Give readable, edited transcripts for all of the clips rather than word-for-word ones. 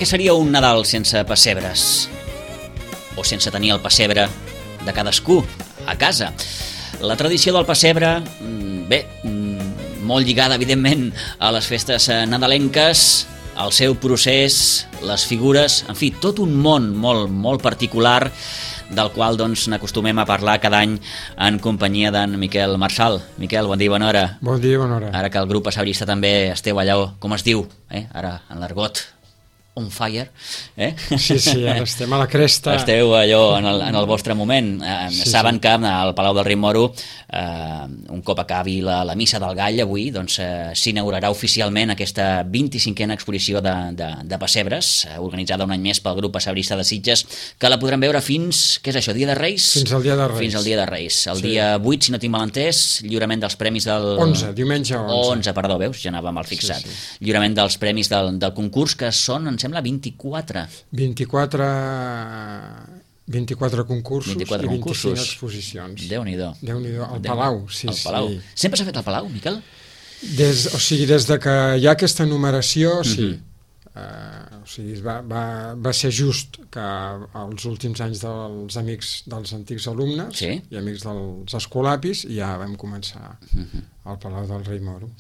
Què seria un Nadal sense pessebres? O sense tenir el pessebre de cadascú a casa? La tradició del pessebre, molt lligada, evidentment, a les festes nadalenques, al seu procés, les figures, en fi, tot un món molt particular del qual n'acostumem a parlar cada any en companyia d'en Miquel Marçal. Miquel, bon dia i bona hora. Bon dia i bona hora. Ara que el grup passabrista també esteu allà, com es diu, ara en l'argot, on fire, Sí, ara estem a la cresta. Esteu allò en el vostre moment. Saben que al Palau del Rei Moro, un cop acabi la missa del Gall avui, s'inaugurarà oficialment aquesta 25a exposició de pessebres, organitzada un any més pel grup passabrista de Sitges, que la podran veure fins, què és això, dia de Reis? Fins al dia de Reis. Fins al dia de Reis. El dia 8, si no tinc mal entès, lliurament dels premis del... 11, diumenge 11. 11, perdó, veus? Ja anava mal fixat. Lliurament dels premis del concurs, que són, em sembla, 24. 24 concursos 24 i 25 concursos. Exposicions. Déu-n'hi-do. Al Palau, sí. Al Palau. Sempre s'ha fet al Palau, Miquel? Des de que hi ha aquesta numeració, sí. Va ser just que els últims anys dels amics dels antics alumnes i amics dels escolapis ja vam començar al Palau del Rei Moro.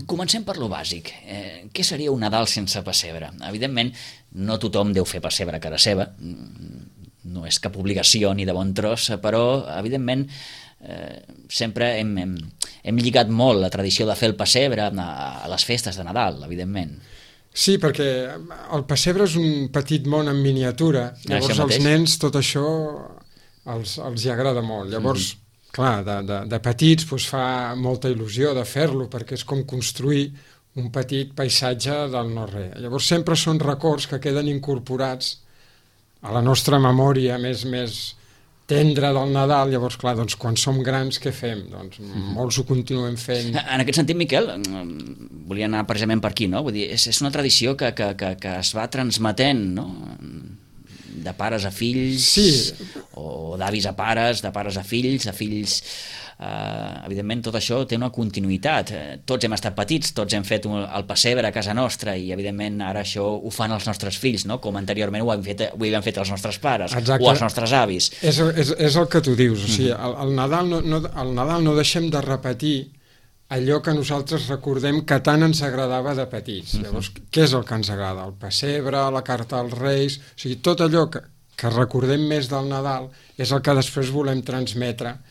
Comencem per lo bàsic. Què seria un Nadal sense pessebre? Evidentment, no tothom deu fer pessebre a casa seva, no és cap obligació ni de bon tros, però evidentment sempre hem lligat molt la tradició de fer el pessebre a les festes de Nadal, evidentment. Sí, perquè el pessebre és un petit món en miniatura, llavors als nens tot això els hi agrada molt. Llavors, clar, de petits fa molta il·lusió de fer-lo, perquè és com construir un petit paisatge del no-res. Llavors sempre són records que queden incorporats a la nostra memòria més tendre del Nadal. Llavors, clar, quan som grans, què fem? Molts ho continuem fent. En aquest sentit, Miquel, volia anar precisament per aquí, no? Vull dir, és una tradició que es va transmetent, no? De pares a fills, o d'avis a pares, de pares a fills, de fills... Evidentment, tot això té una continuïtat. Tots hem estat petits, tots hem fet el pessebre a casa nostra i, evidentment, ara això ho fan els nostres fills, no? Com anteriorment ho havien fet els nostres pares. Exacte. O els nostres avis. És el que tu dius. O sigui, al Nadal no deixem de repetir allò que nosaltres recordem que tant ens agradava de petits. Llavors, què és el que ens agrada? El pessebre, la carta als Reis... O sigui, tot allò que recordem més del Nadal és el que després volem transmetre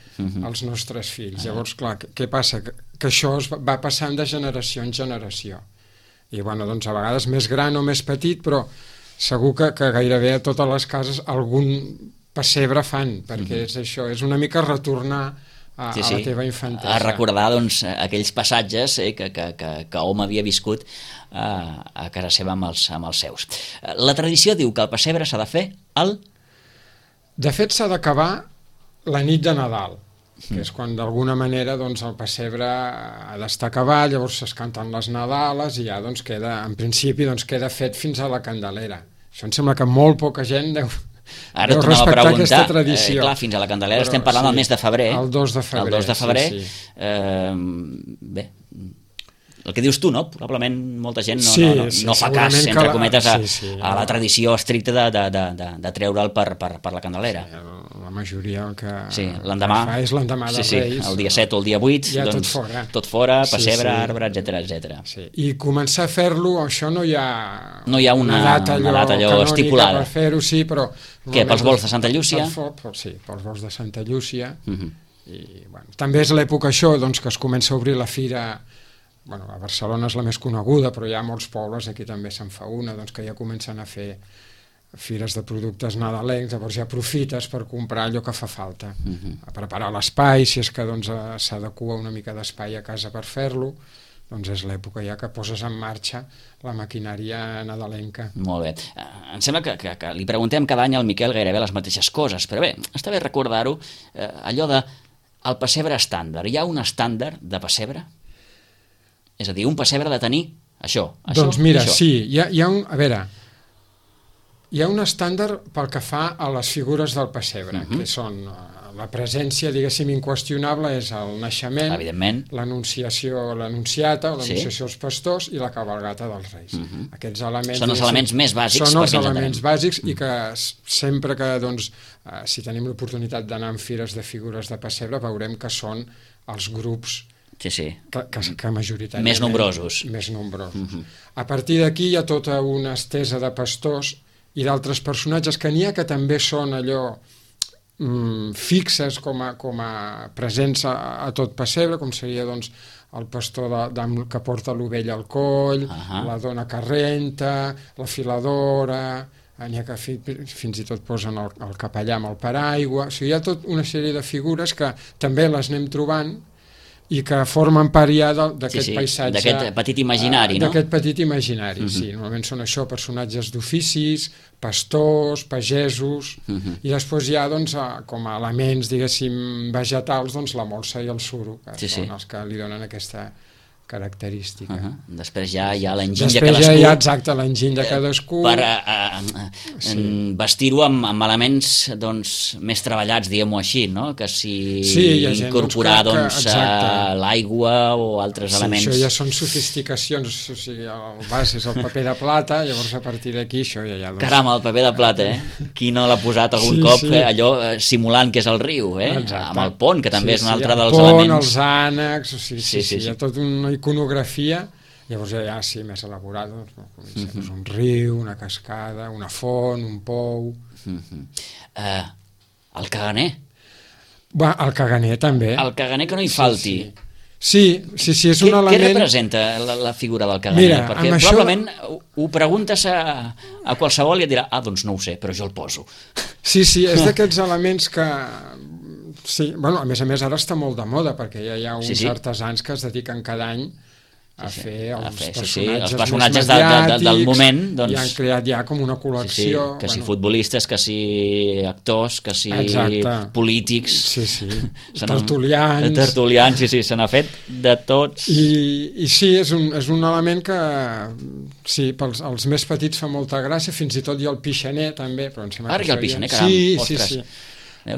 als nostres fills. Llavors, clar, què passa? Que això es va passant de generació en generació. I, bueno, a vegades més gran o més petit, però segur que gairebé a totes les cases algun pessebre fan, perquè és això, és una mica retornar a la teva infantesa. A recordar, aquells passatges que hom havia viscut a casa seva amb els seus. La tradició diu que el pessebre s'ha de fer De fet, s'ha d'acabar la nit de Nadal, que és quan d'alguna manera el pessebre ha d'estar acabat, llavors es canten les Nadales i ja queda, en principi, queda fet fins a la Candelera. Això em sembla que molt poca gent deu respectar aquesta tradició. Clar, fins a la Candelera estem parlant del mes de febrer. El 2 de febrer. El 2 de febrer. Bé, el que dius tu, no? Probablement molta gent no fa cas, entre cometes, a la tradició estricta de treure'l per la Candelera. La majoria el que l'endemà fa és l'endemà dels Reis. El dia 7 o el dia 8, ja tot fora, pessebre, arbre, etc. I començar a fer-lo, això no hi ha una data allò estipulada per fer-ho, sí, però... Què, pels vols de Santa Llúcia? Sí, pels vols de Santa Llúcia. També és l'època això, que es comença a obrir la fira. A Barcelona és la més coneguda, però hi ha molts pobles, aquí també se'n fa una, que ja comencen a fer fires de productes nadalencs, llavors ja aprofites per comprar allò que fa falta, a preparar l'espai, si és que s'adequa una mica d'espai a casa per fer-lo, és l'època ja que poses en marxa la maquinària nadalenca. Molt bé. Em sembla que li preguntem cada any al Miquel gairebé les mateixes coses, però bé, està bé recordar-ho, allò de el pessebre estàndard. Hi ha un estàndard de pessebre? És a dir, un pessebre de tenir això. Doncs mira, sí, hi ha un estàndard pel que fa a les figures del pessebre, que són la presència, diguéssim, inqüestionable és el naixement, l'anunciació, l'anunciata, l'anunciació als pastors i la cabalgata dels Reis. Aquests elements... Són els elements més bàsics. Són els elements bàsics i que sempre que, doncs, si tenim l'oportunitat d'anar en fires de figures de pessebre, veurem que són els grups que majoritàriament... Més nombrosos. A partir d'aquí hi ha tota una estesa de pastors i d'altres personatges que n'hi ha que també són allò fixes com a presents a tot pessebre, com seria doncs el pastor que porta l'ovella al coll, la dona que renta, la filadora, n'hi ha que fins i tot posen el capellà amb el paraigua. O sigui, hi ha tota una sèrie de figures que també les anem trobant i que formen part ja d'aquest paisatge... D'aquest petit imaginari, no? D'aquest petit imaginari, sí. Normalment són això, personatges d'oficis, pastors, pagesos, i després hi ha, doncs, com a elements, diguéssim, vegetals, doncs la molsa i el suro, que són els que li donen aquesta característica. Després ja hi ha l'enginy de cadascú. Després ja hi ha, exacte, l'enginy de cadascú. Per vestir-ho amb elements més treballats, diguem-ho així, no? Que si incorporar l'aigua o altres elements... Sí, això ja són sofisticacions, o sigui, el vas és el paper de plata, llavors a partir d'aquí això ja hi ha... Caram, el paper de plata, Qui no l'ha posat algun cop, allò simulant que és el riu, amb el pont, que també és un altre dels elements... El pont, els ànecs, o sigui, hi ha tot una iconografia, llavors ja sí, més elaborat, un riu, una cascada, una font, un pou... El caganer. El caganer també. El caganer que no hi falti. Sí, és un element... Què representa la figura del caganer? Perquè probablement ho preguntes a qualsevol i et dirà, doncs no ho sé, però jo el poso. Sí, és d'aquests elements que... Sí, a més ara està molt de moda perquè ja hi ha uns artesans que es dediquen cada any a fer els personatges del moment, i han creat ja com una col·lecció. Que si futbolistes, que si actors, que si polítics, tertulians, se n'ha fet de tots. I sí, és un element que pels més petits fa molta gràcia, fins i tot hi ha el pixaner també. Ara hi ha el pixaner, caram, ostres.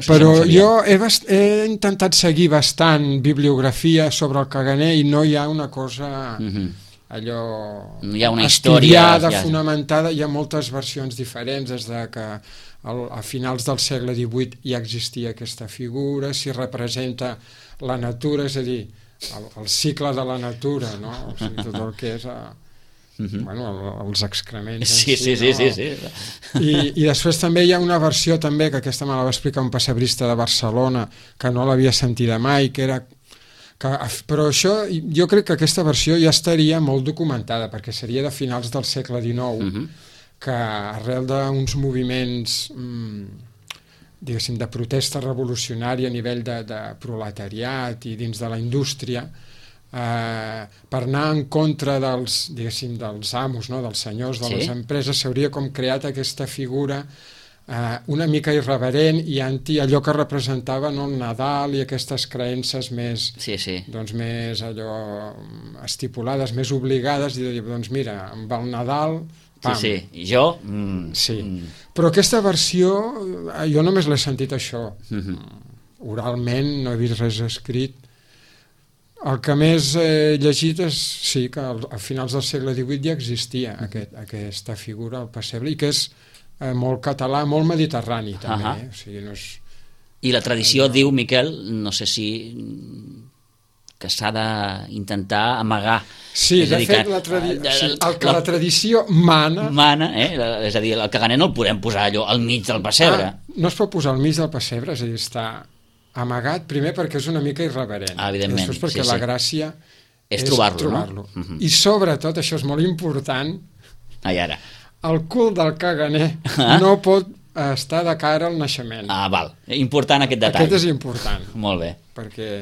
Però jo he intentat seguir bastant bibliografia sobre el caganer i no hi ha una cosa allò estudiada, fonamentada. Hi ha moltes versions diferents, des de que a finals del segle XVIII ja existia aquesta figura, si representa la natura, és a dir, el cicle de la natura, no? O sigui, tot el que és... els excrements sí. I després també hi ha una versió també, que aquesta me la va explicar un pessebrista de Barcelona que no l'havia sentida mai, però això, jo crec que aquesta versió ja estaria molt documentada perquè seria de finals del segle XIX, que arrel d'uns moviments diguéssim de protesta revolucionària a nivell de proletariat i dins de la indústria, per anar en contra dels amos, dels senyors de les empreses, s'hauria com creat aquesta figura una mica irreverent i anti allò que representava el Nadal i aquestes creences més més allò estipulades, més obligades, i de dir, doncs mira, amb el Nadal però aquesta versió jo només l'he sentit això oralment, no he vist res escrit. El que més he llegit és que a finals del segle XVIII ja existia aquesta figura, el pessebre, i que és molt català, molt mediterrani també. O sigui, no és... I la tradició diu, Miquel, no sé si que s'ha d'intentar amagar. Sí, de fet, el que la tradició mana... És a dir, el caganer no el podem posar allò al mig del pessebre. No es pot posar al mig del pessebre, és a dir, està amagat, primer perquè és una mica irreverent, evidentment, després perquè la gràcia és trobar-lo. I sobretot, això és molt important, el cul del caganer no pot estar de cara al naixement. Val, important aquest detall. Aquest és important. Molt bé. Perquè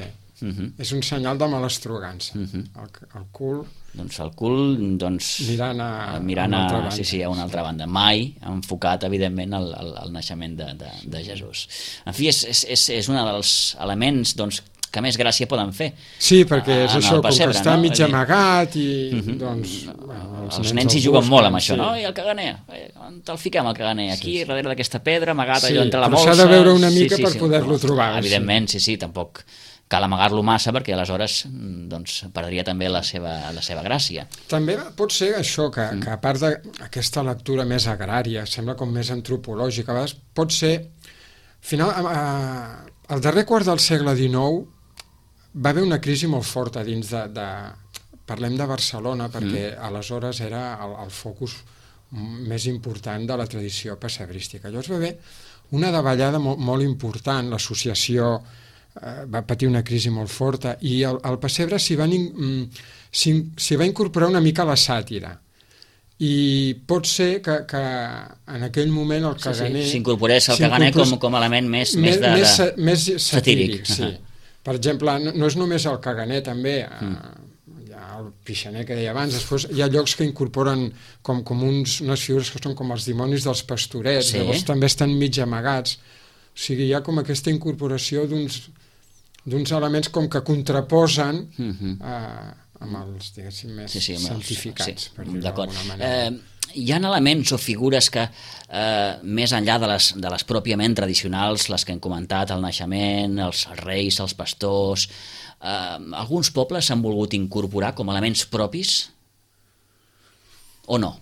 és un senyal de malastrugança. El cul... Doncs el cul, mirant a una altra banda. Sí, a una altra banda. Mai enfocat, evidentment, al naixement de Jesús. En fi, és un dels elements que més gràcia poden fer. Sí, perquè és això, com que està mig amagat i... Els nens hi juguen molt amb això, no? I el caganer, te'l fiquem al caganer, aquí, darrere d'aquesta pedra, amagat allò entre la molsa. molsa... Però s'ha de veure una mica per poder-lo trobar. Evidentment, sí, tampoc cal amagar-lo massa perquè aleshores doncs, perdria també la seva gràcia. També pot ser això, que a part d'aquesta lectura més agrària, sembla com més antropològica, a vegades pot ser... Al final, al darrer quart del segle XIX va haver una crisi molt forta dins de parlem de Barcelona, perquè aleshores era el focus més important de la tradició pessebrística. Llavors va haver una davallada molt important, l'associació va patir una crisi molt forta i al pessebre s'hi va incorporar una mica la sàtira. I pot ser que en aquell moment el caganer... S'incorporés el caganer com a element més satíric. Sí. Per exemple, no és només el caganer, també hi ha el pixaner que deia abans, després hi ha llocs que incorporen com unes figures que són com els dimonis dels pastorets, llavors també estan mig amagats. O sigui, hi ha com aquesta incorporació d'uns elements com que contraposen amb els, diguéssim, més santificats, per dir-ho d'alguna manera. Hi ha elements o figures que, més enllà de les pròpiament tradicionals, les que hem comentat, el naixement, els reis, els pastors, alguns pobles s'han volgut incorporar com elements propis o no?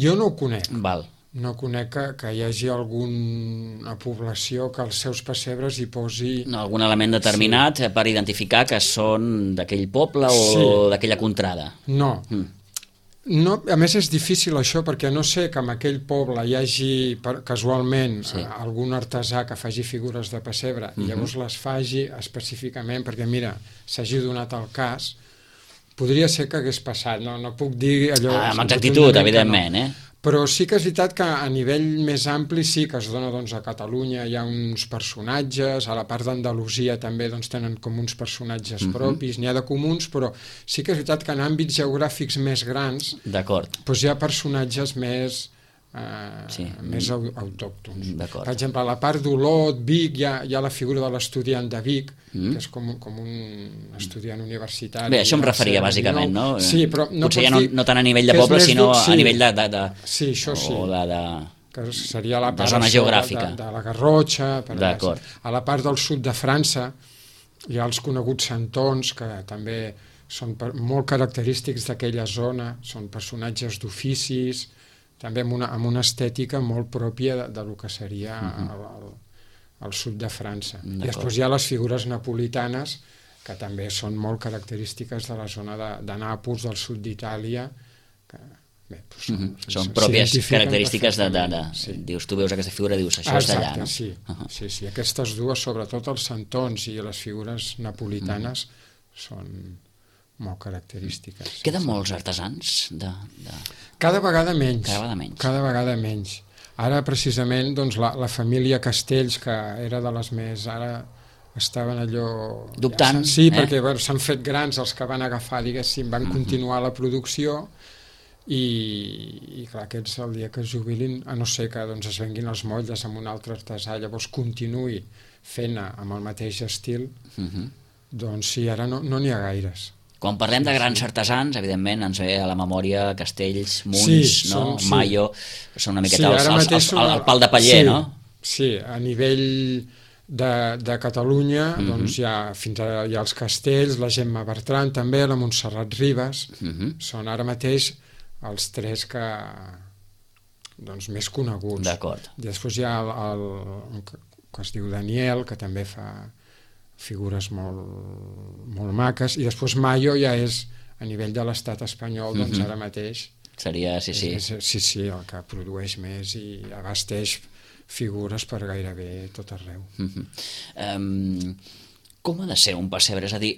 Jo no ho conec. Val. No conec que hi hagi alguna població que als seus pessebres hi posi... Algun element determinat per identificar que són d'aquell poble o d'aquella contrada. No. A més és difícil això perquè no sé que en aquell poble hi hagi casualment algun artesà que faci figures de pessebre i llavors les faci específicament perquè mira, s'hagi donat el cas, podria ser que hagués passat, no puc dir allò... Amb exactitud, evidentment, Però sí que és veritat que a nivell més ampli sí que es dona a Catalunya, hi ha uns personatges, a la part d'Andalusia també tenen com uns personatges propis, n'hi ha de comuns, però sí que és veritat que en àmbits geogràfics més grans hi ha personatges més autòctons. Per exemple, a la part d'Olot, Vic, hi ha la figura de l'estudiant de Vic, que és com un estudiant universitari. Bé, això em referia bàsicament, no? Sí, però potser ja no tant a nivell de poble, sinó a nivell de... Sí, això sí. Que seria la part zona geogràfica. De la Garrotxa. A la part del sud de França hi ha els coneguts santons, que també són molt característics d'aquella zona, són personatges d'oficis, també amb una estètica molt pròpia del que seria al sud de França. I després hi ha les figures napolitanes, que també són molt característiques de la zona de Nàpols, del sud d'Itàlia, que són pròpies característiques dius, tu veus aquesta figura, dius, això és d'allà, no? Sí, aquestes dues, sobretot els santons i les figures napolitanes, són molt característiques. Queden molts artesans? Cada vegada menys. Ara, precisament, la família Castells, que era de les més... Ara estaven allò... Dubtant. Sí, perquè s'han fet grans els que van agafar, diguéssim, van continuar la producció i clar, aquests el dia que es jubilin, a no ser que es venguin els motlles amb un altre artesà, llavors continuï fent-ne amb el mateix estil, doncs sí, ara no n'hi ha gaires. Quan parlem de grans artesans, evidentment ens ve a la memòria Castells, Munts, Mayo, són una miqueta el pal de paller, no? Sí, a nivell de Catalunya fins ara hi ha els Castells, la Gemma Bertran també, la Montserrat Ribas, són ara mateix els tres que més coneguts. D'acord. Després hi ha el que es diu Daniel, que també fa figures molt maques, i després Mayo ja és a nivell de l'estat espanyol, ara mateix seria, sí, el que produeix més i abasteix figures per gairebé tot arreu. Com ha de ser un pessebre? És a dir,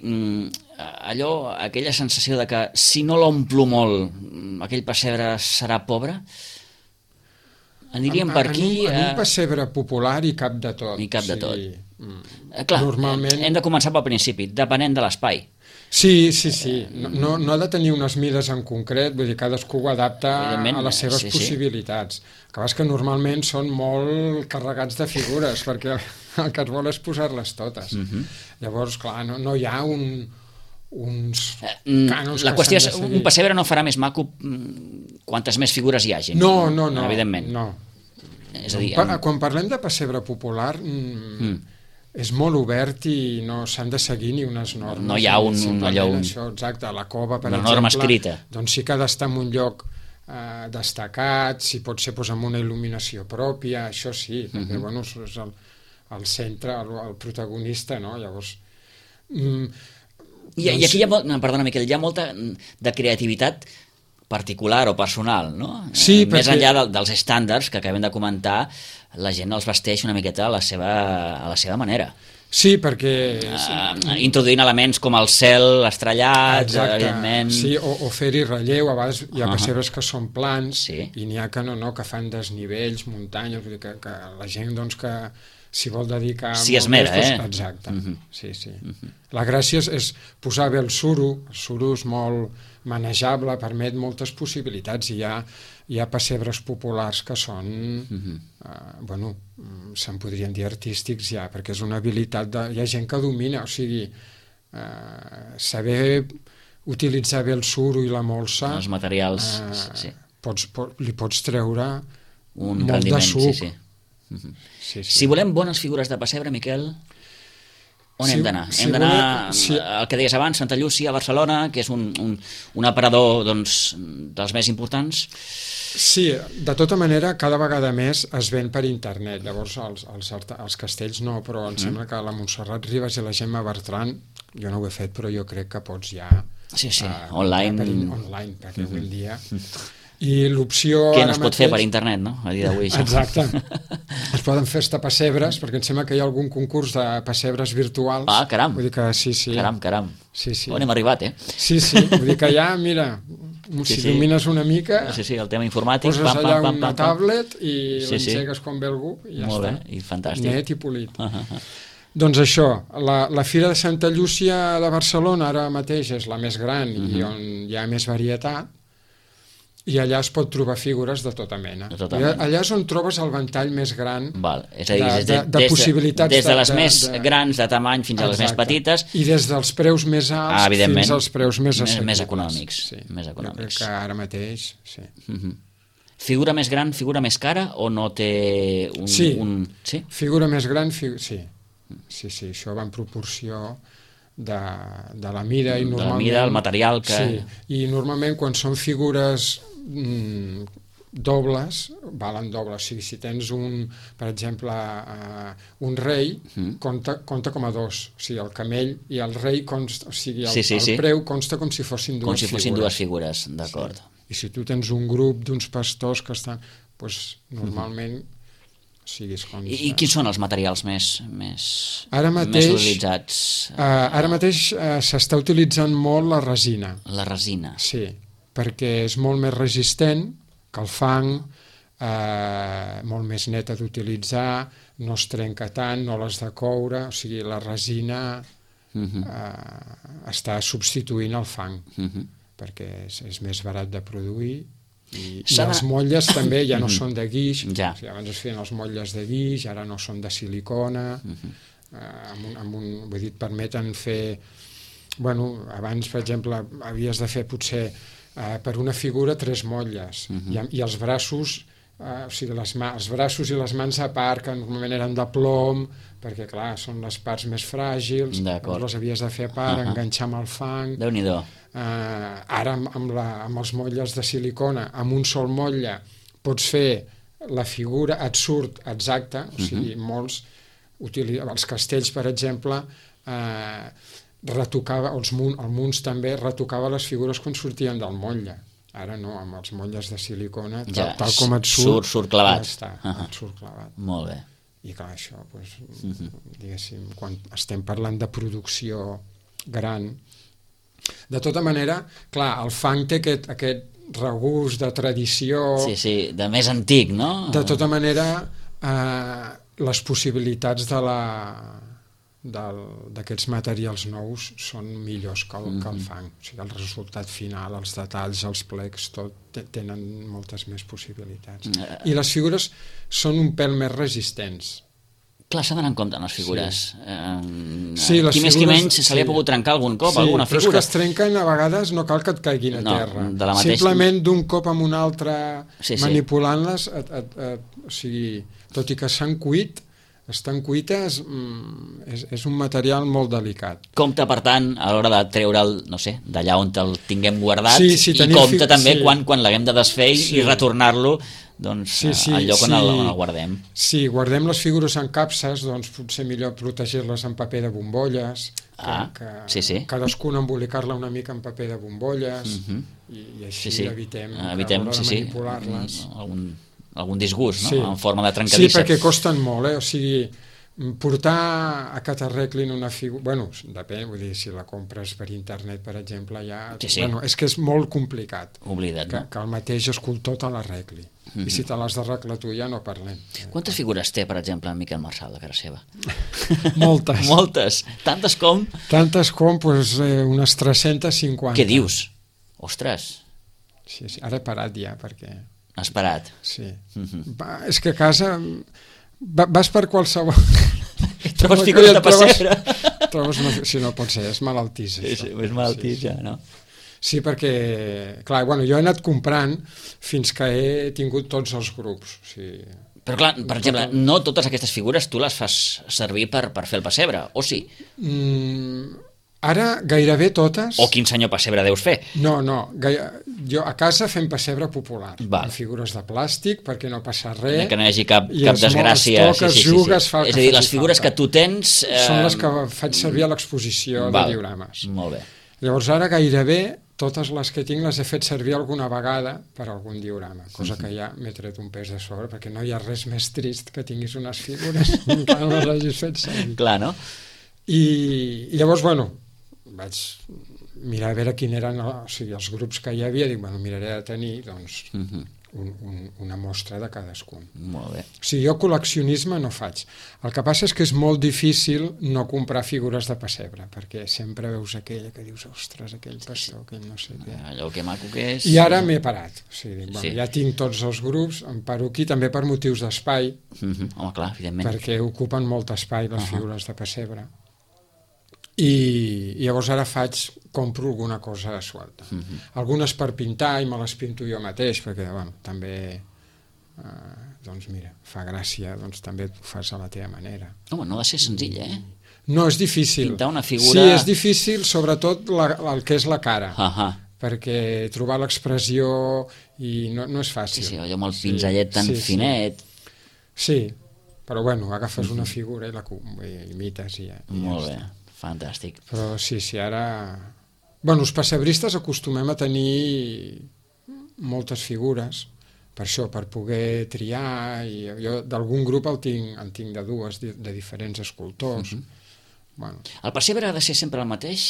aquella sensació de que si no l'omplo molt, aquell pessebre serà pobre? Aniríem per aquí... En un pessebre popular i cap de tot. I cap de tot. Clar, hem de començar pel principi, depenent de l'espai. Sí. No ha de tenir unes mides en concret, vull dir, cadascú ho adapta a les seves possibilitats. El que passa és que normalment són molt carregats de figures, perquè el que es vol és posar-les totes. Llavors, clar, no hi ha uns cànons la que qüestió és, s'han de seguir. un pessebre no farà més maco quantes més figures hi hagi. No, evidentment. No. És a dir, Quan parlem de pessebre popular és molt obert i no s'han de seguir ni unes normes. No hi ha això, exacte, la cova, per exemple, norma escrita. Doncs sí que ha d'estar en un lloc destacat, si pot ser amb una il·luminació pròpia, això sí, perquè bueno, és el centre, el protagonista, no? Llavors... I aquí hi ha, perdona Miquel, hi ha molta de creativitat particular o personal, no? Sí, més enllà dels estàndards que acabem de comentar, la gent els vesteix una miqueta a la seva manera. Sí, perquè... Introduint elements com el cel estrellat, evidentment... Sí, o fer-hi relleu, a vegades hi ha pessebres que són plans i n'hi ha que que fan desnivells, muntanyes, vull dir que la gent doncs que s'hi vol dedicar... Si esmera, Exacte, sí. La gràcia és posar bé el suro és molt manejable, permet moltes possibilitats, i hi ha pessebres populars que són, bueno, se'n podrien dir artístics ja, perquè és una habilitat, hi ha gent que domina, o sigui, saber utilitzar bé el suro i la molsa, els materials, li pots treure un molt de suc. Sí. Si volem bones figures de pessebre, Miquel, on hem d'anar? Hem d'anar al que deies abans, Santa Llúcia, a Barcelona, que és un aparador dels més importants. Sí, de tota manera, cada vegada més es ven per internet. Llavors, els castells no, però em sembla que la Montserrat Ribas i la Gemma Bertran, jo no ho he fet, però jo crec que pots ja... Sí, online. Online, perquè avui en dia... I l'opció... Què no es pot fer per internet, no? A dia d'avui. Exacte. Es poden fer pessebres, perquè em sembla que hi ha algun concurs de pessebres virtuals. Ah, caram. Vull dir que sí. Caram. Sí. On hem arribat, Sí. Vull dir que ja, mira, si domines una mica... Sí, el tema informàtic... Poses allà una tablet i l'engegues quan ve algú i ja està. Molt bé, i fantàstic. Net i polit. Doncs això, la Fira de Santa Llúcia de Barcelona ara mateix és la més gran i on hi ha més varietat, i allà es pot trobar figures de tota mena. Allà és on trobes el ventall més gran és a dir, de possibilitats. Des de les més grans de tamany fins a les més petites. I des dels preus més alts fins als preus més assequibles. Més econòmics. Jo crec que ara mateix, sí. Figura més gran, figura més cara, o no té un... Sí, figura més gran, sí. Sí, això va en proporció de la mida i normalment... De la mida, el material que... Sí, i normalment quan són figures dobles, valen doble, o sigui, si tens per exemple, un rei, compta com a dos, o sigui, el camell i el rei, o sigui, el preu consta com si fossin dues figures. Com si fossin dues figures, d'acord. I si tu tens un grup d'uns pastors que estan, doncs normalment... I quins són els materials més utilitzats? Ara mateix s'està utilitzant molt la resina. La resina. Sí, perquè és molt més resistent que el fang, molt més neta d'utilitzar, no es trenca tant, no l'has de coure, o sigui, la resina està substituint el fang, perquè és més barat de produir. I les motlles també ja no són de guix, o sigui, abans es feien els motlles de guix, ara no són de silicona, vull dir, permeten fer, bueno, abans per exemple havies de fer potser per una figura 3 motlles i els braços, o sigui, els braços i les mans a part, que normalment eren de plom, perquè clar, són les parts més fràgils, les havies de fer a part, enganxar amb el fang. Déu-n'hi-do. Ara amb els motlles de silicona, amb un sol motlle pots fer la figura, et surt exacta, o sigui, molts els castells per exemple retocava, el Munts també retocava les figures quan sortien del motlle. Ara no, amb els motlles de silicona, tal com et surt clavat. Et surt clavat. Molt bé. I clar, això, diguéssim, quan estem parlant de producció gran, de tota manera, clar, el fang té aquest regust de tradició... Sí, de més antic, no? De tota manera, les possibilitats d'aquests materials nous són millors que el fang. O sigui, el resultat final, els detalls, els plecs, tot tenen moltes més possibilitats. I les figures són un pèl més resistents. Clar, s'ha d'anar en compte en les figures. Sí, les qui més figures, qui menys se li ha pogut trencar algun cop, alguna però figura. és que es trenquen, a vegades no cal que et caiguin a terra. De la mateixa... Simplement d'un cop amb un altre, manipulant-les, o sigui, tot i que s'han cuit, estan cuites, és un material molt delicat. Compte, per tant, a l'hora de treure'l, no sé, d'allà on el tinguem guardat, i compte també quan l'haguem de desfer i retornar-lo doncs, al lloc on el guardem. Sí, guardem les figures en capses, doncs potser millor protegir-les en paper de bombolles, cadascuna embolicar-la una mica en paper de bombolles, i així evitem a l'hora de manipular-les. Algun disgust, no? En forma de trencadissa. Sí, perquè costen molt, o sigui, portar a que t'arreglin una figura... Bueno, depèn, vull dir, si la compres per internet, per exemple, ja... Bueno, és que és molt complicat. Oblida't, no? Que el mateix escultor te l'arregli. I si te l'has d'arreglar tu ja no parlem. Quantes figures té, per exemple, en Miquel Marçal, de cara seva? Moltes. Moltes. Tantes com? Tantes com, doncs, unes 350. Què dius? Ostres. Sí, ara he parat ja, perquè... Has parat? Sí. És que a casa vas per qualsevol... Trobes figures de pessebre. Si no pot ser, és malaltís. Sí, és malaltís ja, no? Sí, perquè, clar, bueno, jo he anat comprant fins que he tingut tots els grups. Però clar, per exemple, no totes aquestes figures tu les fas servir per fer el pessebre, o sí? Ara gairebé totes... O quin senyor pessebre deus fer? No, jo a casa fem pessebre popular, amb figures de plàstic, perquè no passa res. Que no hi hagi cap desgràcia. Jugues, és a dir, les figures que tu tens... Són les que faig servir a l'exposició de diorames. Molt bé. Llavors ara gairebé totes les que tinc les he fet servir alguna vegada per algun diorama, cosa que ja m'he tret un pes de sobre, perquè no hi ha res més trist que tinguis unes figures encara no les hagis fet servir. Clar, no? I llavors, bueno, vaig mirar a veure quin eren els grups que hi havia, dic, bueno, miraré de tenir doncs, una mostra de cadascun. Molt bé. O sigui, jo col·leccionisme no faig. El que passa és que és molt difícil no comprar figures de pessebre, perquè sempre veus aquella que dius, ostres, aquell pastor, aquell no sé què. Allò que maco que és... I ara m'he parat. O sigui, bueno, ja tinc tots els grups, em paro aquí, també per motius d'espai. Home, clar, evidentment. Perquè ocupen molt espai les figures de pessebre. I llavors ara compro alguna cosa suelta. Algunes per pintar i me les pinto jo mateix, perquè bueno, també doncs mira, fa gràcia, doncs també ho fas a la teva manera. Home, no ha de ser senzill, No, és difícil. Pintar una figura... Sí, és difícil, sobretot el que és la cara, perquè trobar l'expressió i no és fàcil. Sí, allò amb el pinzellet tan finet. Sí, però bueno, agafes una figura i la imites i ja. Molt bé. Fantàstic. Però sí, ara... Bueno, els pessebristes acostumem a tenir moltes figures, per això, per poder triar, i jo d'algun grup en tinc de dues, de diferents escultors. Bueno. El pessebre ha de ser sempre el mateix?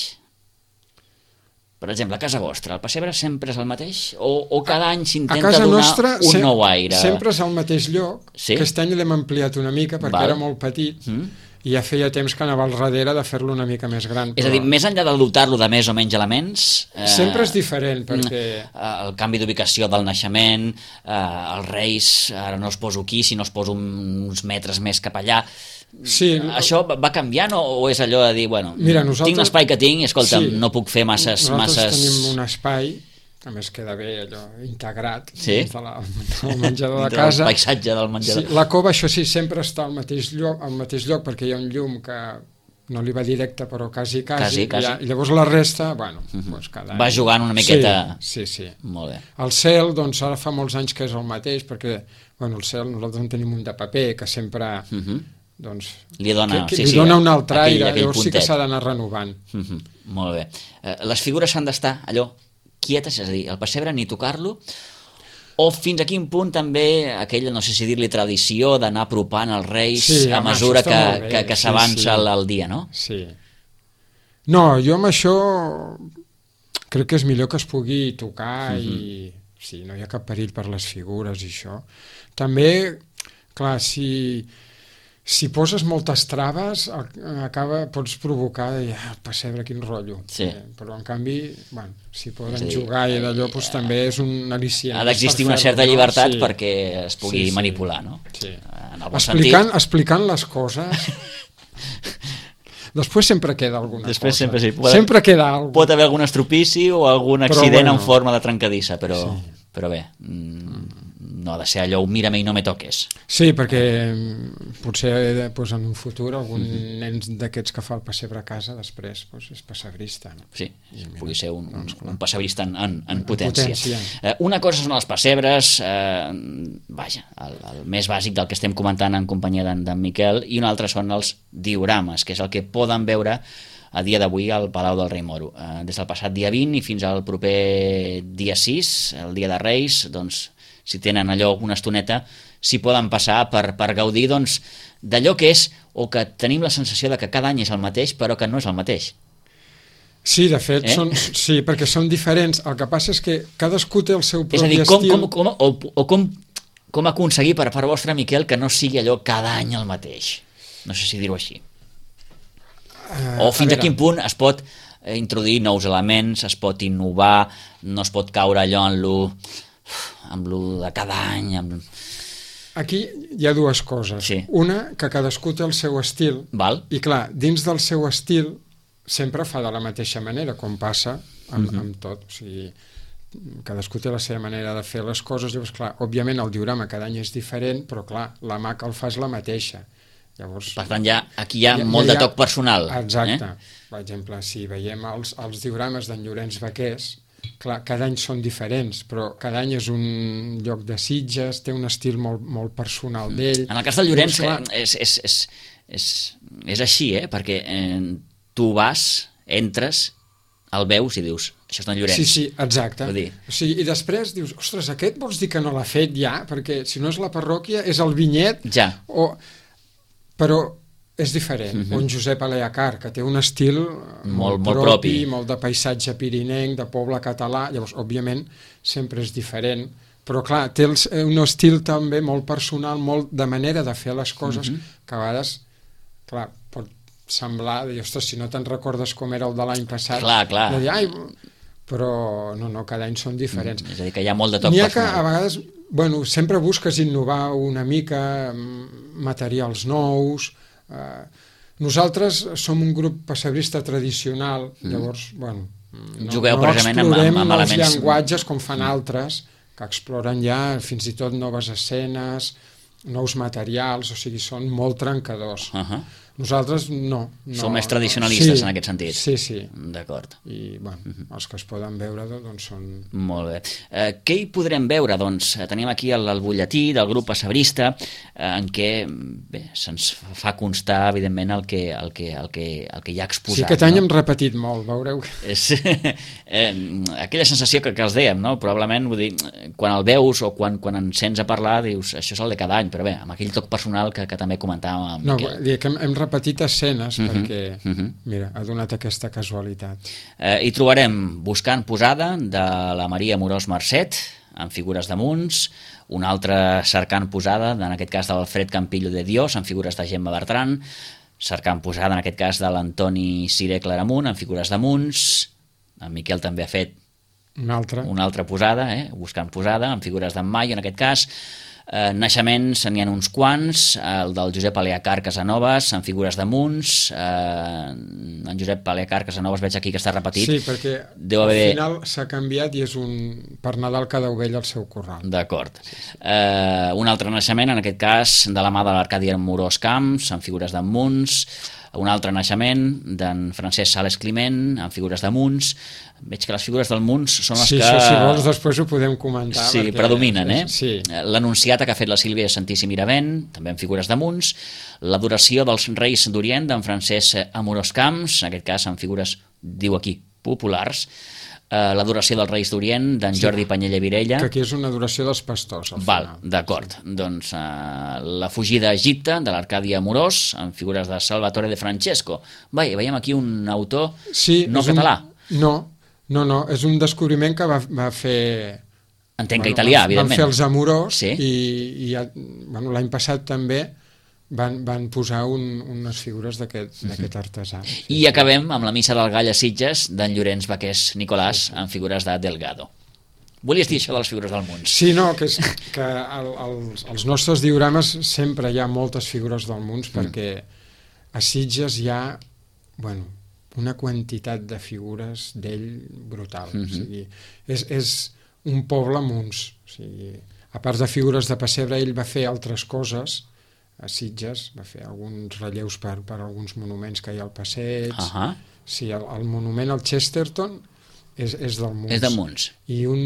Per exemple, a casa vostra, el pessebre sempre és el mateix? O cada any s'intenta donar un nou aire? Sempre és al mateix lloc, que aquest any l'hem ampliat una mica perquè era molt petit, i ja feia temps que anava al darrere de fer-lo una mica més gran. És a dir, més enllà de dotar-lo de més o menys elements... Sempre és diferent, perquè... El canvi d'ubicació del naixement, els reis, ara no els poso aquí, sinó els poso uns metres més cap allà... Sí, això va canviant o és allò de dir, bueno, mira, tinc l'espai que tinc i, escolta'm, no puc fer masses... Nosaltres tenim un espai... A més queda bé allò integrat dins del menjador de casa. El paisatge del menjador. Sí, la cova, això sí, sempre està al mateix lloc perquè hi ha un llum que no li va directe, però quasi. I llavors la resta, bueno, doncs cada any... Va jugant una miqueta... Sí. Molt bé. El cel, doncs ara fa molts anys que és el mateix, perquè, bueno, el cel nosaltres en tenim un de paper que sempre... doncs, li dona un altre aire, llavors sí que s'ha d'anar renovant. Molt bé. Les figures s'han d'estar allò quietes, és a dir, el pessebre ni tocar-lo, o fins a quin punt també aquella, no sé si dir-li tradició, d'anar apropant els reis a mesura que s'avança el dia, no? Sí. No, jo amb això crec que és millor que es pugui tocar i sí, no hi ha cap perill per les figures i això. També, clar, si si poses moltes traves pots provocar el pessebre, quin rotllo. Sí. Però en canvi, bueno, si poden jugar i d'allò doncs, també és un al·licient. Ha d'existir una certa llibertat perquè es pugui manipular, no? Sí. En el bon sentit. Explicant les coses. Després sempre queda alguna cosa. Sempre queda alguna. Pot haver algun estropici o algun accident en forma de trencadissa, però bé, no ha de ser allò, mira-me i no me toques. Sí, perquè potser en un futur algun nen d'aquests que fa el pessebre a casa després és pessebrista. No? Sí, pugui ser un pessebrista en potència. Una cosa són els pessebres, vaja, el més bàsic del que estem comentant en companyia d'en Miquel, i un altre són els diorames, que és el que poden veure a dia d'avui al Palau del Rei Moro. Des del passat dia 20 i fins al proper dia 6, el dia de Reis, doncs, si tenen allò una estoneta, s'hi poden passar per gaudir d'allò que és, o que tenim la sensació de que cada any és el mateix, però que no és el mateix. Sí, de fet, sí, perquè són diferents. El que passa és que cadascú té el seu propi estil. Com aconseguir per part vostra, Miquel, que no sigui allò cada any el mateix? No sé si dir-ho així. O fins a quin punt es pot introduir nous elements, es pot innovar, no es pot caure allò amb lo de cada any. Aquí hi ha dues coses. Sí. Una, que cadascú té el seu estil. Val. I clar, dins del seu estil sempre fa de la mateixa manera, com passa amb tot. O sigui, cadascú té la seva manera de fer les coses. Llavors, clar, òbviament el diorama cada any és diferent, però clar, la mà que el fa és la mateixa. Llavors, per tant, aquí hi ha molt de toc personal. Exacte. Per exemple, si veiem els diorames d'en Llorenç Vaqués, clar, cada any són diferents, però cada any és un lloc de Sitges, té un estil molt, molt personal d'ell. En el cas del Llorenç és així, perquè tu vas, entres, el veus i dius, això és d'en Llorenç. Sí, exacte. O sigui, i després dius, ostres, aquest vols dir que no l'ha fet ja? Perquè si no és la parròquia, és el vinyet. Ja. Però és diferent. O en Josep Aleacar, que té un estil molt propi, molt de paisatge pirinenc, de poble català. Llavors, òbviament, sempre és diferent. Però, clar, té un estil també molt personal, molt de manera de fer les coses, que a vegades, clar, pot semblar, ostres, si no te'n recordes com era el de l'any passat, de dir, però no, cada any són diferents. És a dir, que hi ha molt de toc personal. N'hi ha que a vegades, sempre busques innovar una mica, materials nous. Nosaltres som un grup pessebrista tradicional, llavors, jugueu precisament amb elements. No explorem els llenguatges com fan altres, que exploren ja fins i tot noves escenes, nous materials, o sigui, són molt trencadors. Nosaltres no. Som més tradicionalistes en aquest sentit. Sí. D'acord. I, els que es poden veure, doncs, són... Molt bé. Què hi podrem veure? Doncs tenim aquí el butlletí del grup pessebrista, en què se'ns fa constar, evidentment, el que hi ha exposat. Sí, aquest any hem repetit molt, veureu. Aquella sensació que els dèiem, no? Probablement, vull dir, quan el veus o quan en sents a parlar, dius, això és el de cada any, però bé, amb aquell toc personal que també comentàvem amb Miquel. No, dir que hem repetit escenes perquè, mira, ha donat aquesta casualitat. Hi trobarem Buscant posada de la Maria Amorós Marcet, amb figures de Munts, una altra Cercant posada, en aquest cas de l'Alfred Campillo de Dios, amb figures de Gemma Bertran, Cercant posada, en aquest cas de l'Antoni Ciré Claramunt, amb figures de Munts, en Miquel també ha fet una altra posada, Buscant posada, amb figures d'en Maio, en aquest cas. Naixements n'hi ha uns quants, el del Josep Aleacar Casanovas amb figures de Munts, en Josep Aleacar Casanovas veig aquí que està repetit. Sí, perquè al final s'ha canviat i és per Nadal cada ovella al seu corral. D'acord. Un altre naixement, en aquest cas de la mà de l'Arcadi Amorós Camps amb figures de Munts, un altre naixement d'en Francesc Sales Climent amb figures de Munts. Veig que les figures del Munts són les que... Sí, si vols després ho podem comentar. Sí, predominen, Sí. L'Anunciata que ha fet la Sílvia Santíssim Miravent, també amb figures de Munts. L'Adoració dels Reis d'Orient d'en Francesc Amorós Camps, en aquest cas amb figures, diu aquí, populars. L'Adoració dels Reis d'Orient d'en Jordi Panyella Virella, que aquí és una adoració dels pastors al final. D'acord, doncs La fugida a Egipte de l'Arcadi Amorós amb figures de Salvatore de Francesco. Veiem aquí un autor català. No, és un descobriment que va fer... Entenc que italià, evidentment. Van fer els Amorós i l'any passat també van posar unes figures d'aquest artesà. I acabem amb la missa del Gall a Sitges d'en Llorenç Baqués Nicolàs amb figures de Delgado. Volies dir això de les figures del Munts? Sí, no, que als nostres diorames sempre hi ha moltes figures del Munts perquè a Sitges hi ha una quantitat de figures d'ell brutal. O sigui, és un poble Munts. O sigui, a part de figures de pessebre, ell va fer altres coses a Sitges, va fer alguns relleus per alguns monuments que hi ha al passeig. Sí, el monument al Chesterton és del Munts. És de Munts. I un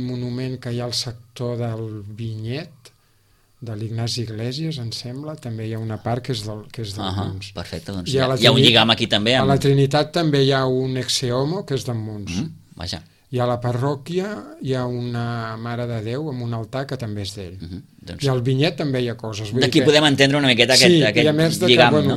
monument que hi ha al sector del Vinyet, de l'Ignasi Iglesias, em sembla, també hi ha una part que és del Munts. Perfecte, doncs hi ha un lligam aquí també. A la Trinitat també hi ha un ex homo que és del Munts. Vaja. I a la parròquia hi ha una Mare de Déu amb un altar que també és d'ell. I al Vinyet també hi ha coses. D'aquí podem entendre una miqueta aquest lligam, no?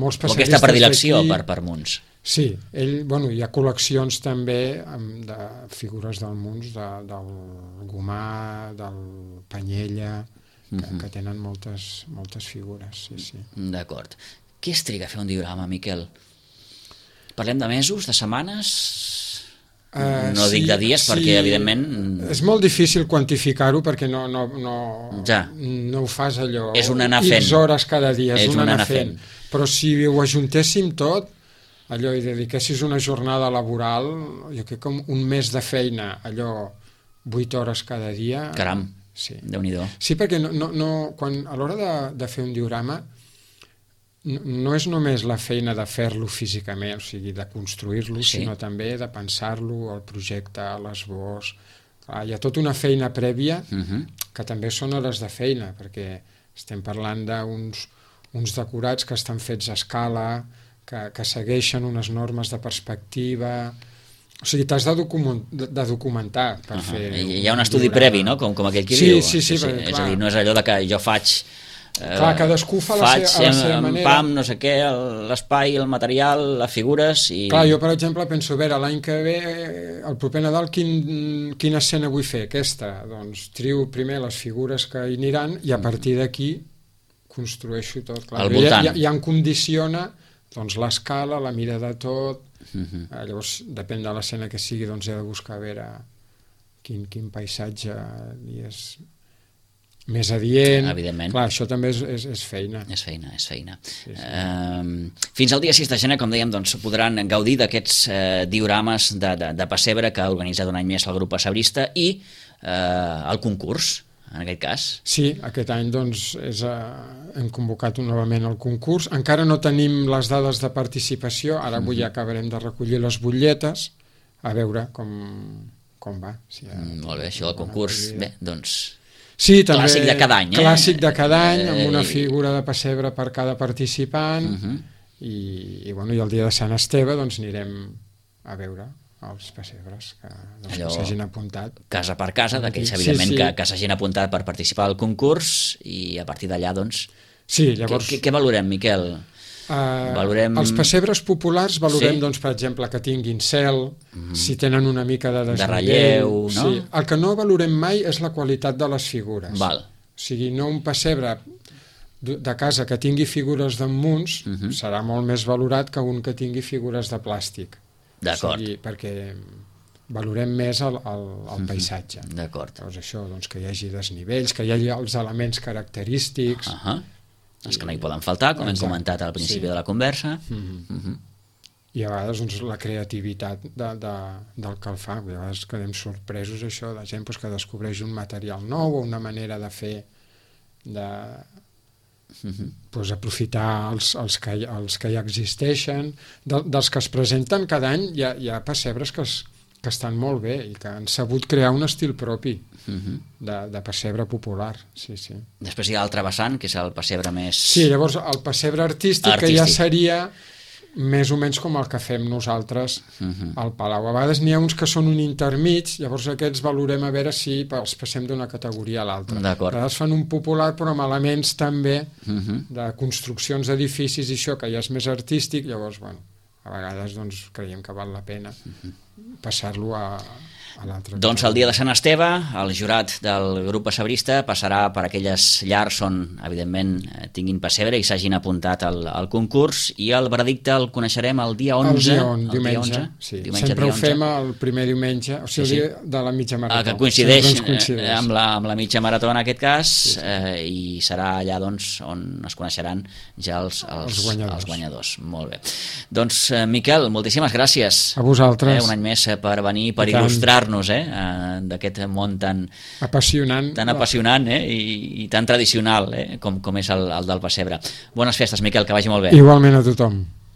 Molts o aquesta predilecció per Munts. Sí, hi ha col·leccions també de figures del Munts, del Gomà, del Panyella, que tenen moltes figures. Sí. D'acord. Què es triga a fer un diorama, Miquel? Parlem de mesos, de setmanes? No dic de dies perquè, evidentment... És molt difícil quantificar-ho perquè no ho fas allò... És un anar fent. X hores cada dia, és un anar fent. Però si ho ajuntéssim tot, allò i dediquessis una jornada laboral, jo crec que un mes de feina, allò 8 hores cada dia... Caram, Déu-n'hi-do. Sí, perquè a l'hora de fer un diorama no és només la feina de fer-lo físicament, o sigui, de construir-lo, sinó també de pensar-lo, el projecte, l'esbós. Hi ha tota una feina prèvia que també són hores de feina, perquè estem parlant d'uns decorats que estan fets a escala, que segueixen unes normes de perspectiva... O sigui, t'has de documentar per fer... Hi ha un estudi previ, no?, com aquell qui diu. Sí, és a dir, no és allò que jo faig... Clar, cadascú fa a la seva manera. Pam, no sé què, l'espai, el material, les figures... Clar, jo, per exemple, penso, a veure, l'any que ve, el proper Nadal, quina escena vull fer? Aquesta. Doncs trio primer les figures que hi aniran i a partir d'aquí construeixo tot. Clar, al voltant. Ja em condiciona l'escala, la mira de tot... Llavors, depèn de l'escena que sigui, doncs he de buscar a veure quin paisatge és més adient. Evidentment. Clar, això també és feina. És feina. Sí. Fins al dia 6 de gener, com dèiem, doncs, podran gaudir d'aquests diorames de pessebre que ha organitzat un any més el grup pessebrista i el concurs, en aquest cas. Sí, aquest any doncs, hem convocat novament el concurs. Encara no tenim les dades de participació, ara avui ja acabarem de recollir les butlletes, a veure com va. Molt bé, això del concurs, bé, doncs... Sí, també, clàssic de cada any, clàssic de cada any, amb una figura de pessebre per cada participant, i el dia de Sant Esteve doncs anirem a veure els pessebres que s'hagin apuntat. Casa per casa, d'aquells evidentment que s'hagin apuntat per participar al concurs, i a partir d'allà doncs... Sí, llavors... Què valorem, Miquel? Els pessebres populars valorem, doncs, per exemple, que tinguin cel, si tenen una mica de desnivell, relleu, no? Sí. El que no valorem mai és la qualitat de les figures. Val. O sigui, no un pessebre de casa que tingui figures d'en Munts serà molt més valorat que un que tingui figures de plàstic. D'acord. O sigui, perquè valorem més el paisatge. D'acord. Llavors això, doncs, que hi hagi desnivells, que hi hagi els elements característics... Els que no hi poden faltar, com hem comentat al principi de la conversa. I a vegades doncs, la creativitat del que el fa. A vegades quedem sorpresos això de gent que descobreix un material nou o una manera de fer aprofitar els que ja existeixen. Dels que es presenten cada any hi ha pessebres que estan molt bé i que han sabut crear un estil propi de pessebre popular. Després hi ha l'altre vessant, que és el pessebre més... Sí, llavors el pessebre artístic, que ja seria més o menys com el que fem nosaltres al Palau. A vegades n'hi ha uns que són un intermig, llavors aquests valorem a veure si els passem d'una categoria a l'altra. A vegades fan un popular però amb elements també de construccions d'edificis i això que ja és més artístic, llavors a vegades doncs, creiem que val la pena passar-lo a Doncs el dia de Sant Esteve, el jurat del grup pessebrista passarà per aquelles llars on, evidentment, tinguin pessebre i s'hagin apuntat al concurs, i el veredicte el coneixerem el dia 11. Diumenge. Sempre ho fem el primer diumenge, o sigui, el dia de la mitja marató. Que coincideix amb la mitja marató en aquest cas, i serà allà on es coneixeran ja els guanyadors. Molt bé. Doncs, Miquel, moltíssimes gràcies. A vosaltres. Un any més per venir, per il·lustrar-nos d'aquest món tan apassionant i tan tradicional com és el del pessebre. Bones festes, Miquel, que vagi molt bé. Igualment a tothom.